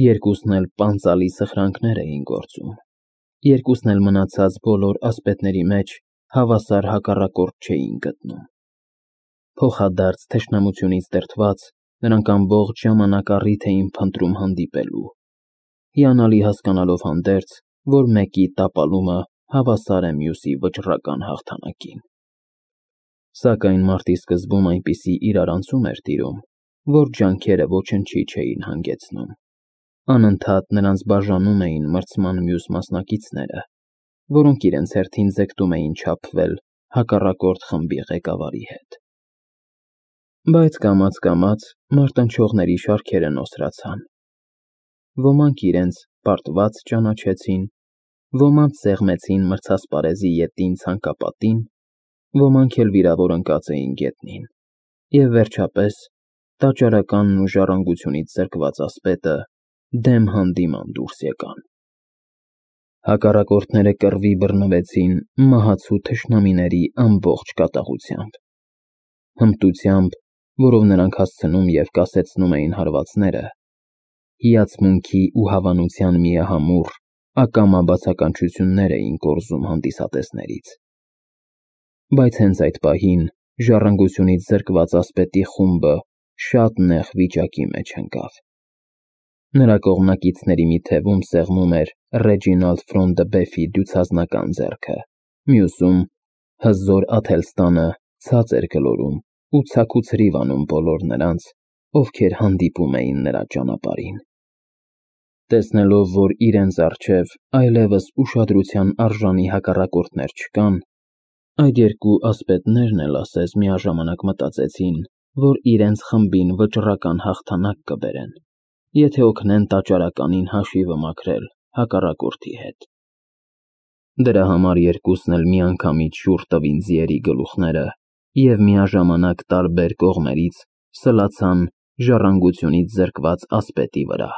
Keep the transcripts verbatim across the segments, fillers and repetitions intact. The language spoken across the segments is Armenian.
Երկուսն էլ պանծալի սխրանքներ էին գործում, երկուսն էլ մնացած բոլոր ասպետների մեջ հավասար հակառակորդ չէին գտնում. փոխադարձ թշնամությունից դրդված, նրանք ամբողջ ժամանակ առիթ էին փնտրում հանդիպելու, հիանալի հասկանալով հանդերձ, որ մեկի տապալումը հավասար է մյուսի վճռական հաղթանակին։ Սակայն մարտի սկզբում այնպիսի իրարանցում էր տիրում, որ ջանքերը ոչնչի չէին հանգեցնում, անընդհատ նրանց բաժանում էին մրցման մյուս մասնակիցները, որոնք իրենց հերթին ձգտում էին չափվել հակառակորդ խմբի ղեկավարի հետ։ Բայց կամաց-կամաց մարտնչողների շարքերը նոսրացան, ոմանք իրենց պարտված ճանաչեցին, ոմանց սեղմեցին մրցասպարեզի ետին ցանկապատին, ոմանք էլ վիրավոր ընկած էին գետնին, և վերջապես տաճարականն ու ժառանգությունից զրկված ասպետը դեմ հանդիման դուրս եկան։ Հակառակորդները կռվի բռնվեցին մահացու թշնամիների ամբողջ կատաղությամբ, հմտությամբ, որով նրանք հասցնում և կասեցնում էին հարվածները, հիացմունքի ու հավանության միահամուռ, ակամա բացականչություններ էին կորզում հանդիսատեսներից։ Բայց հենց այդ պահին ժառանգությունից զրկված ասպետի խումբը շատ նեղ վիճակի մեջ ընկավ։ Նրա կողմնակիցների մի թևում սեղմում էր Ռեջինալդ Ֆրոն-դը-Բեֆի դյուցազնական ձեռքը, մյուսում հզոր Աթելստանը ցած էր գլորում ու ցաքուցրիվ անում բոլոր նրանց, ովքեր հանդիպում էին նրա ճանապարհին։ Տեսնելով, որ իրենց առջև այլևս ուշադրության արժանի հակառակորդներ չկան, այդ երկու ասպետներն էլ ասես միաժամանակ մտածեցին, որ իրենց խմբին վճռական հաղթանակ կբերեն, եթե օգնեն տաճարականին հաշիվը մաքրել հակառակորդի հետ։ Դրա համար երկուսն էլ միանգամից շուռ տվին ձիերի գլուխները և միաժամանակ տարբեր կողմերից սլացան ժառանգությունից զրկված ասպետի վրա։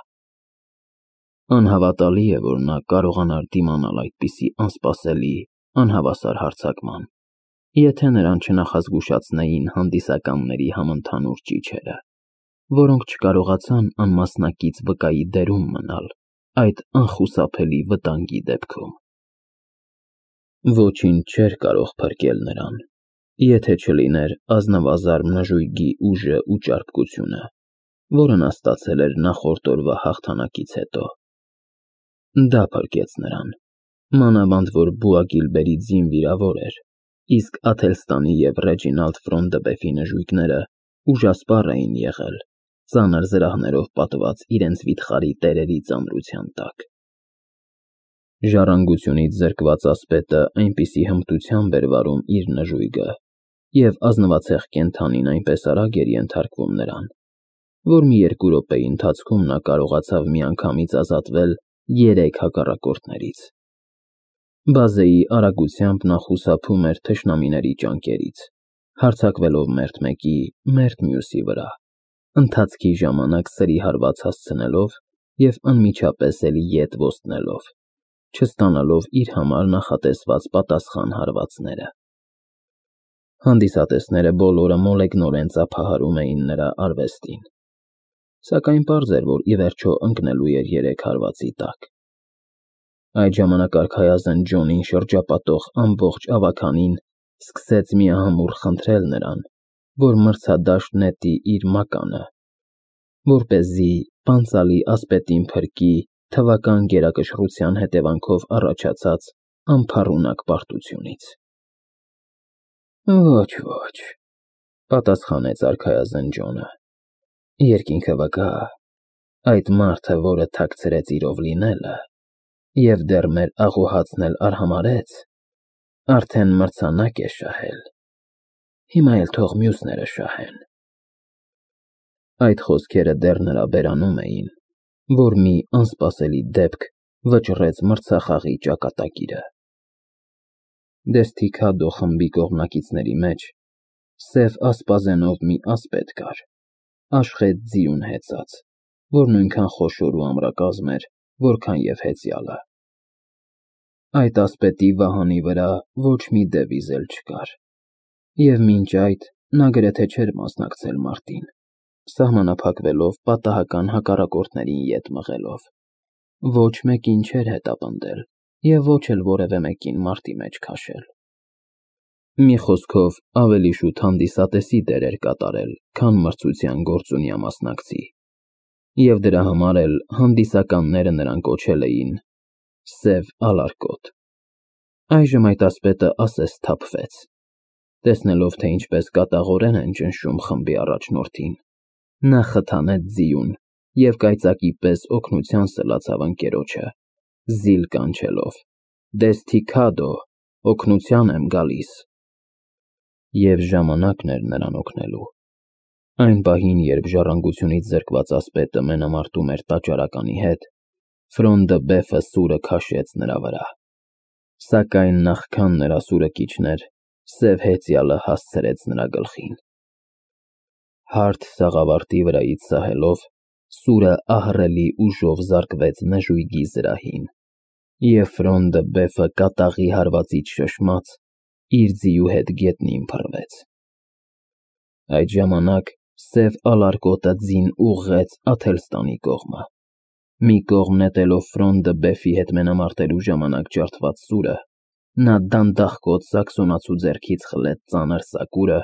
Անհավատալի է, որ նա կարողանար դիմանալ այդպիսի անսպասելի, անհավասար հարձակման, եթե նրան չնախազգուշացնեին հանդիսականների համընդհանուր ճիչերը, որոնք չկարողացան անմասնակից վկայի դերում մնալ այդ անխուսափելի վտանգի դեպքում։ Ոչինչ չէր կարող փրկել նրան, եթե չլիներ ազնվազարմ նժույգի ուժն ու ճարպկությունը, որը նա ստացել էր նախորդ օրվա հաղթանակից հետո։ Դա փրկեց նրան, մանավանդ որ Բուագիլբերի ձին վիրավոր էր, իսկ Աթելստանի և Ռեջինալդ Ֆրոն-դը-Բեֆի նժույգները ուժասպառ էին եղել, ծանր զրահներով պատված իրենց վիթխարի տերերի ծանրության տակ։ Ժառանգությունից զրկված ասպետը այնպիսի հմտությամբ էր վարում իր նժույգը, և ազնվացեղ կենդանին այնպես արագ էր ենթարկվում նրան, որ մի երկու րոպեի ընթացքում նա կարողացավ միանգամից ազատվել երեք հակառակորդներից։ Բազեի արագությամբ նա խուսափում էր թշնամիների ճանկերից, հարձակվելով մերթ մեկի, մերթ մյուսի վրա, ընթացքի ժամանակ սրի հարված հասցնելով և անմիջապես էլ ետ ոստնելով, չստանալով իր համար նախատեսված պատասխան հարվածները։ Հանդիսատեսները բոլորը մոլեգնորեն ծափահարում էին նրա արվեստին, սակայն պարզ էր, որ ի վերջո ընկնելու էր երեք հարվածի տակ։ Այդ ժամանակ արքայազն Ջոնին շրջապատող ամբողջ ավագանին սկսեց միահամուռ խնդրել նրան, որ մրցադաշտ նետի իր մականը, որպեսզի պանծալի ասպետին փրկի թվական գերակշռության հետևանքով առաջացած անփառունակ պարտությունից։ Ոչ, ոչ, պատասխանեց արքայազն Ջոնը, երկինքը վկա, այդ մարդը, որը թաքցրեց իրով լինելը և դեռ մեր աղոհացն էլ արհամարհեց, արդեն մրցանակ է շահել, հիմա էլ թող մյուսները շահեն։ Այդ խոսքերը դեռ նրա բերանում էին, որ մի անսպասելի դեպք վճռեց մրցախաղի ճակատագիրը։ Դեսթիքադո խմբի կողմնակիցների մեջ սև ասպազենով մի ասպետ կար, աշխետ ձիուն հեծած, որ նույնքան խոշոր ու ամրակազմ էր, որքան և հեծյալը։ Այդ ասպետի վահանի վրա ոչ մի դևիզ էլ չկար, և մինչ այդ նա գրեթե չէր մասնակցել մարտին, սահմանափակվելով պատահական հակառակորդներին ետ մղելով։ Ոչ մեկին չէր հետապնդել և ոչ էլ որևէ մեկին մարտի մեջ քաշել։ Մի խոսքով, ավելի շուտ հանդիսատեսի դեր էր կատարել, քան մրցության գործունյա մասնակցի, և դրա համար էլ հանդիսականները նրան կոչել էին Սև Ալարկոտ։ Այժմ այդ ասպետը ասես սթափվեց, տեսնելով, թե ինչպես կատաղորեն են ճնշում խմբի առաջնորդին, նա խթանեց ձիուն և կայծակի պես օգնության սլացավ ընկերոջը, զիլ կանչելով. «Դեսթիքադո, օգնության եմ գալիս»։ Եվ ժամանակն էր նրան օգնելու։ Այն պահին, երբ ժառանգությունից զրկված ասպետը մենամարտում էր տաճարականի հետ, Ֆրոն դը Բեֆը սուրը քաշեց նրա վրա։ Սակայն նախքան նրա սուրը կիջներ, սև հեծյալը հասցրեց նրա գլխին։ Հարթ սաղավարտի վրայից սահելով, սուրը ահռելի ուժով զարկվեց նժույգի զրահին, և Ֆրոն դը Բեֆը կատաղի հարվածից շշմած, իր ձիու հետ գետնին փռվեց։ Այդ ժամանակ Սև Ալարկոտը ձին ուղղեց Աթելստանի կողմը։ Մի կողմ նետելով Ֆրոն դը Բեֆի հետ մենամարտելու ժամանակ ջարդված սուրը, նա դանդաղկոտ Սաքսոնացու ձեռքից խլեց ծանր սակուրը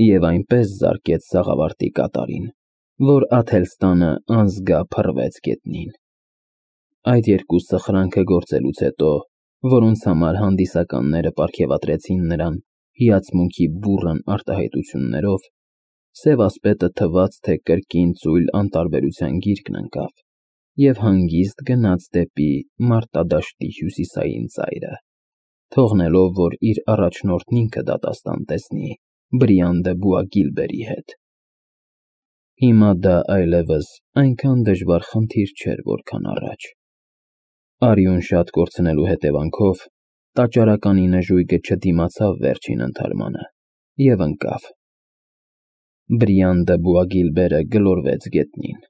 և այնպես զարկեց սաղավարտի կատարին, որ Աթելստանը անզգա փռվեց գետնին։ Այդ երկու սխրանքը գործելուց հետո, որոնց համար հանդիսականները պարգևատրեցին նրան հիացմունքի բուռն արտահայտություններով, Սև ասպետը թվաց, թե կրկին ծույլ անտարբերության գիրկն ընկավ և հանգիստ գնաց դեպի մարտադաշտի հյուսիսային ծայրը, թողնելով, որ իր առաջնորդն ինքը դատաստան տեսնի Բրիան դը Բուագիլբերի հետ։ Հիմա դա այլևս այնքան դժվար խնդիր չէր, որքան առաջ։ Արյուն շատ կորցնելու հետևանքով տաճարականի նժույգը չդիմացավ վերջին ընդհարմանը և ընկավ։ Բրիան դը Բուագիլբերը գլորվեց գետնին,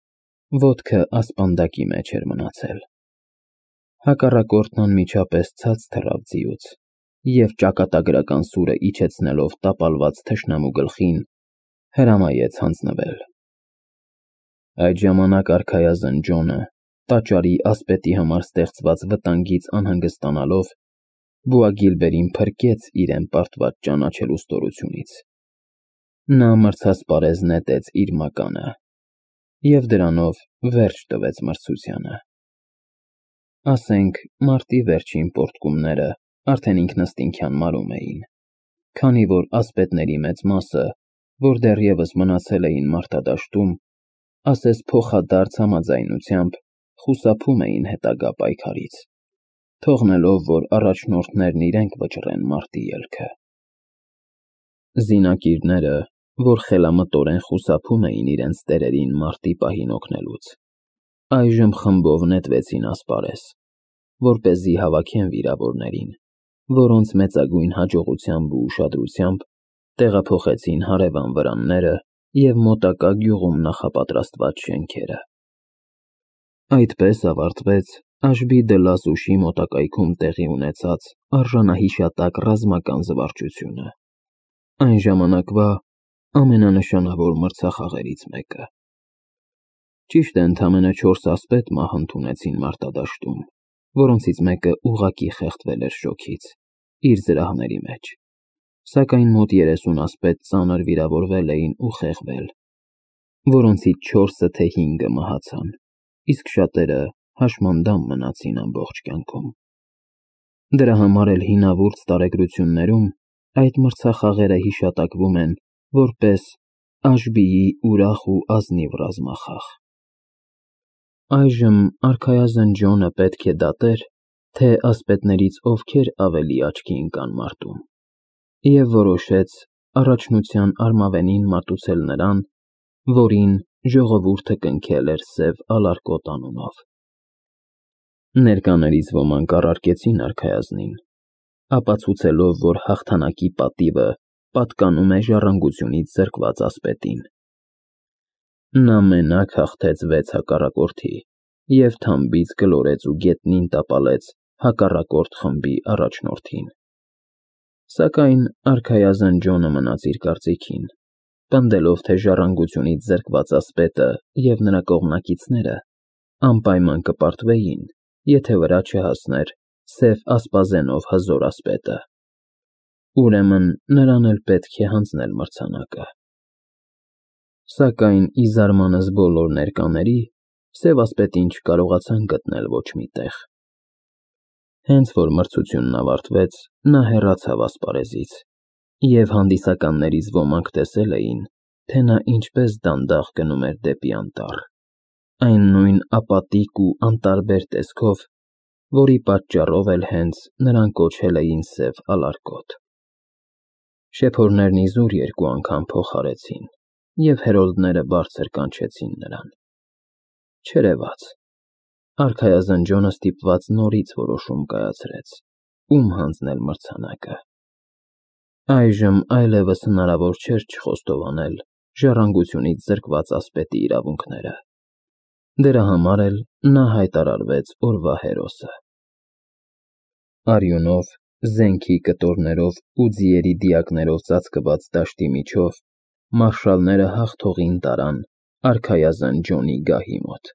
ոտքը ասպանդակի մեջ էր մնացել։ Հակառակորդն անմիջապես ցած թռավ ձիուց և ճակատագրական սուրը իջեցնելով տապալված թշնամու գլխին, հրամայեց հանձնվել։ Այդ ժամանակ արքայազն Ջոնը, տաճարի ասպետի համար ստեղծված վտանգից անհանգստանալով, Բուագիլբերին փրկեց իրեն պարտված ճանաչելու ստորությունից։ Նա մրցասպարեզ նետեց իր մականը և դրանով վերջ տվեց մրցությանը։ Ասենք, մարտի վերջին պոռթկումները արդեն ինքնըստինքյան մարում էին, քանի որ ասպետների մեծ մասը, որ դեռևս մնացել էին մարտադաշտում, ասես փոխադարձ համաձայնությամբ խուսափում էին հետագա պայքարից, թողնելով, որ առաջնորդներն իրենք վճռեն մարտի ելքը։ Զինակիրները, որ խելամտորեն խուսափում էին իրենց տերերին մարտի պահին օգնելուց, այժմ խմբով նետվեցին ասպարեզ, որպեսզի հավաքեն վիրավորներին, որոնց մեծագույն հաջողությամբ ու ուշադրությամբ տեղափոխեցին հարևան վրանները և մոտակա գյուղում նախապատրաստված շենքերը։ Այդպես ավարտվեց Աշբի դը Լազուշի մոտակայքում տեղի ունեցած արժանահիշատակ ռազմական զվարճությունը, այն ժամանակվա ամենանշանավոր մրցախաղերից մեկը։ Ճիշտ է, ընդամենը չորս ասպետ մահ ընդունեցին մարտադաշտում, որոնցից մեկը ուղղակի խեղդվել էր շոքից, իր զրահների մեջ, սակայն մոտ երեսուն ասպետ ծանր վիրավորվել էին ու խեղվել, որոնցից չորսը թե հինգը մահացան, իսկ շատերը հաշմանդամ մնացին ամբողջ կյանքում։ Դրա համար էլ հինավուրց տարեգրություններում այդ մրցախաղերը հիշատակվում են որպես Աշբիի ուրախ ու ազնիվ ռազմախաղ։ Այժմ արքայազն Ջոնը պետք է դատեր, թե ասպետներից ովքեր ավելի աչքի ընկան մարտում, և որոշեց առաջնության արմավենին մատուցել նրան, որին ժողովուրդը կնքել էր Սև Ալարկոտ անունով։ Ներկաներից ոմանք առարկեցին արքայազնին, ապացուցելով, որ հաղթանակի պատիվը պատկանում է ժառանգությունից զրկված ասպետին։ Նա մենակ հաղթեց վեց հակառակորդի և թամբից գլորեց ու գետնին տապալեց հակառակորդ խմբի առաջնորդին։ Սակայն արքայազն Ջոնը մնաց իր կարծիքին պնդելով, թե ժառանգությունից զրկված ասպետը և նրա կողմնակիցները անպայման կպարտվեին, եթե վրա չհասներ սև ասպազենով հզոր ասպետը։ Ուրեմն նրան էլ պետք է հանձնել մրցանակը։ Սակայն, ի զարմանս բոլոր ներկաների, սև ասպետին չկարողացան գտնել ոչ մի տեղ։ Հենց որ մրցությունն ավարտվեց, նա հեռացավ ասպարեզից, և հանդիսականներից ոմանք տեսել էին, թե նա ինչպես դանդաղ գնում էր դեպի անտառ, այն նույն ապատիկ ու անտարբեր տեսքով, որի պատճառով էլ հենց նրան կոչել էին Սև Ալարկոտ։ Շեփորներն իզուր երկու անգամ փոխ արեցին, և հերոլդները բարձր կանչեցին նրան։ Չերևաց։ Արքայազնջոնը ստիպված նորից որոշում կայացրեց, ում հանձնել մրցանակը։ Այժմ այլևս հնարավոր չէր չխոստովանել ժառանգությունից զրկված ասպետի իրավունքները։ Դրա համար էլ նա հայտարարվեց օրվա հերոսը։ Արյունով, զենքի կտորներով ու ձիերի դիակներով ծածկված դաշտի միջով մարշալները հաղթողին տարան արքայազն Ջոնի գահի մոտ։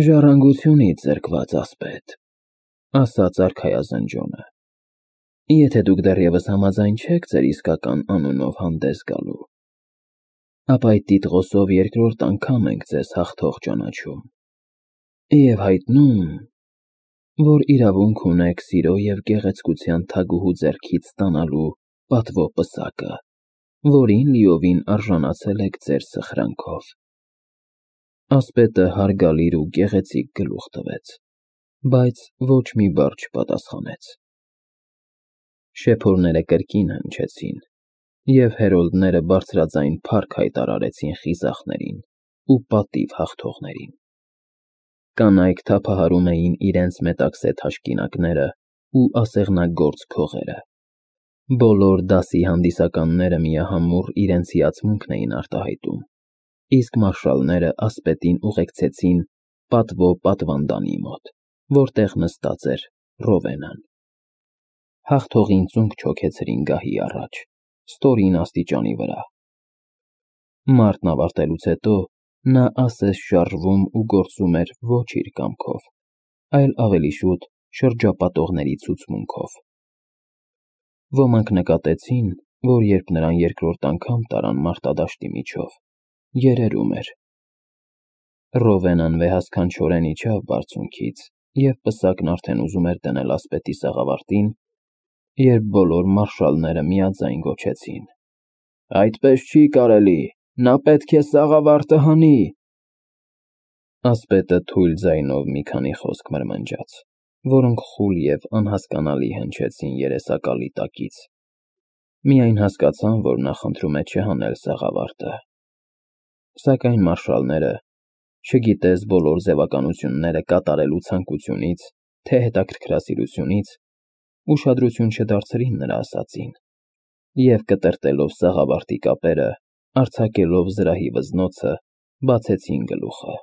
Ժառանգությունից զրկված ասպետ, ասաց արքայազն Ջոնը, եթե դուք դեռևս համաձայն չեք ձեր իսկական անունով հանդես գալու, ապա այդ տիտղոսով երկրորդ անգամ ենք ձեզ հաղթող ճանաչում և հայտնում, որ իրավունք ունեք սիրո և գեղեցկության թագուհու ձեռքից ստանալու պատվո պսակը, որին լիովին արժանացել եք ձեր սխրանքով։ Ասպետը հարգալիր ու գեղեցիկ գլուխ տվեց, բայց ոչ մի բառ չպատասխանեց։ Շեփորները կրկին հնչեցին, և հերոլդները բարձրաձայն փառք հայտարարեցին խիզախներին ու պատիվ հաղթողներին։ Կանայք թափահարում էին իրենց մետաքսե թաշկինակները ու ասեղնագործ քողերը։ Բոլոր դասի հանդիսականները միահամուռ իրենց հիացմունքն էին արտահայտում, իսկ մարշալները ասպետին ուղեկցեցին պատվո պատվանդանի մոտ, որտեղ նստած էր Ռովենան։ Հաղթողին ծունկ չոքեցրին գահի առաջ, ստորին աստիճանի վրա։ Մարտն ավարտելուց հետո նա ասես շարժվում ու գործում էր ոչ իր կամքով, այլ ավելի շուտ շրջապատողների ցուցմունքով։ Ոմանք նկատեցին, որ երբ նրան երկրորդ անգամ տարան մարտադաշտի միջով, երերում էր։ Ռովենան վեհասքանչորեն իջավ բարձունքից և պսակն արդեն ուզում էր դնել ասպետի սաղավարտին, երբ բոլոր մարշալները միաձայն գոչեցին. «Այդպես չի կարելի, նա պետք է սաղավարտը հանի»։ Ասպետը թույլ ձայնով մի քանի խոսք մրմնջաց, որոնք խուլ և անհասկանալի հնչեցին երեսակալի տակից։ Միայն հասկացան, որ նա խնդրում է չհանել սաղավարտը։ Սակայն մարշալները, չգիտես բոլոր ձևականությունները կատարելու ցանկությունից, թե հետաքրքրասիրությունից, ուշադրություն չդարձրին նրա ասածին, և կտրտելով սաղավարտի կապերը, արձակելով զրահի վզնոցը, բացեցին գլուխը։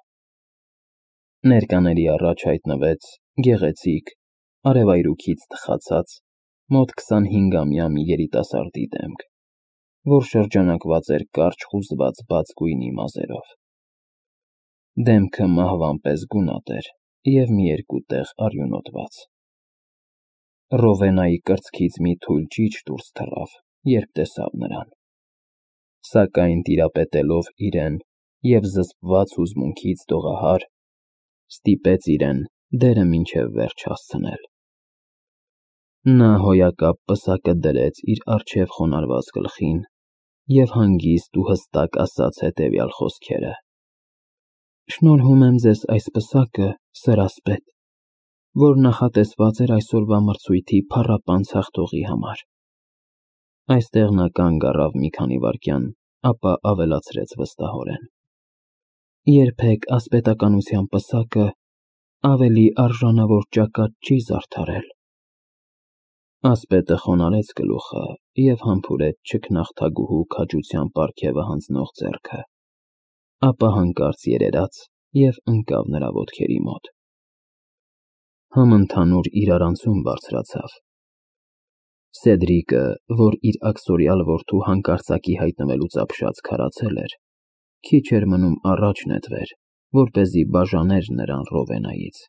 Ներկաների առաջ հայտնվեց գեղեցիկ, արևայրուքից թխացած, մոտ քսանհինգամյա մի երիտասարդի դեմք, որ շրջանակված էր կարճ խուզված բաց գույնի մազերով։ Դեմքը մահվան պես գունատ էր և մի երկու տեղ արյունոտված։ Ռովենայի կրծքից մի թույլ ճիչ դուրս թռավ, երբ տեսավ նրան։ Սակայն տիրապետելով իրեն և զսպված հուզմունքից դողահար, ստիպեց իրեն դերը մինչև վերջ հասցնել։ Նա հոյակապ պսակը դրեց իր առջև խոնարհված գլխին և հանգիստ ու հստակ ասաց հետևյալ խոսքերը. «Շնորհում եմ ձեզ այս պսակը, սեր ասպետ, որ նախատեսված էր այսօրվա մրցույթի փառապանծ հաղթողի համար»։ Այստեղ նա կանգ առավ մի քանի վայրկյան, ապա ավելացրեց վստահորեն. «Երբեք ասպետականության պսակը ավելի արժանավոր ճակատ չի զարդարել»։ Ասպետը խոնարհեց գլուխը և համբուրեց չքնաղ թագուհու քաջության պարգևը հանձնող ձեռքը, ապա հանկարծ երերաց և ընկավ նրա ոտքերի մոտ։ Համընդհանուր իրարանցում բարձրացավ։ Սեդրիկը, որ իր աքսորիալ որդու հանկարծակի հայտնվելուց ապշած քարացել էր, քիչ էր մնում առաջ նետվեր, որպեսզի բաժաներ նրան Ռովենայից,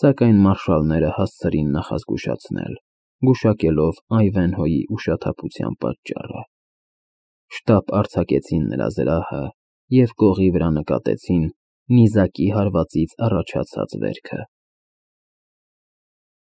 սակայն մարշալները հասցրին նախազգուշացնել, գուշակելով Այվենհոյի ուշաթափության պատճառը։ Շտապ արձակեցին նրա զրահը և կողի վրա նկատեցին նիզակի հարվածից առաջացած վերքը։